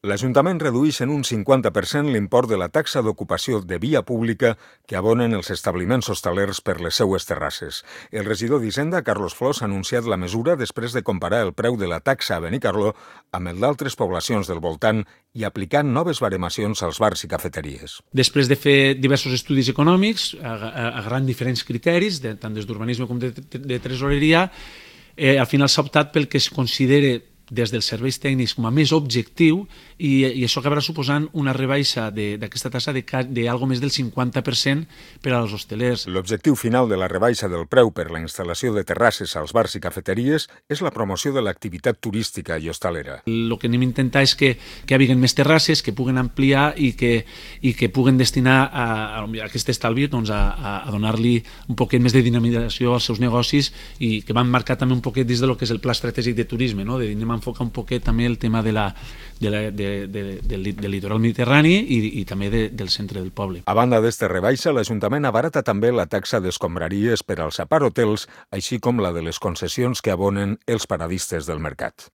L'Ajuntament redueix en un 50% l'import de la taxa d'ocupació de via pública que abonen els establiments hostalers per les seues terrasses. El regidor d'Hisenda, Carlos Flors, ha anunciat la mesura després de comparar el preu de la taxa a Benicarló amb el d'altres poblacions del voltant i aplicant noves baremacions als bars i cafeteries. Després de fer diversos estudis econòmics, agarrant diferents criteris, tant des d'urbanisme com de tresoreria, al final s'ha optat pel que es considera des dels serveis tècnics com a més objectiu i això acabarà suposant una rebaixa d'aquesta taxa d'algo més del 50% per als hostelers. L'objectiu final de la rebaixa del preu per la instal·lació de terrasses als bars i cafeteries és la promoció de l'activitat turística i hostalera. El que anem a intentar és que hi hagi més terrasses, que puguen ampliar i que puguen destinar a aquest estalvi a donar-li un poquet més de dinamització als seus negocis i que van marcar també un poquet dins del que és el pla estratègic de turisme, no? Anem a enfocar un poquet també el tema del litoral mediterrani i també del centre del poble. A banda d'esta rebaixa, l'Ajuntament abarata també la taxa d'escombraries per als aparthotels, així com la de les concessions que abonen els paradistes del mercat.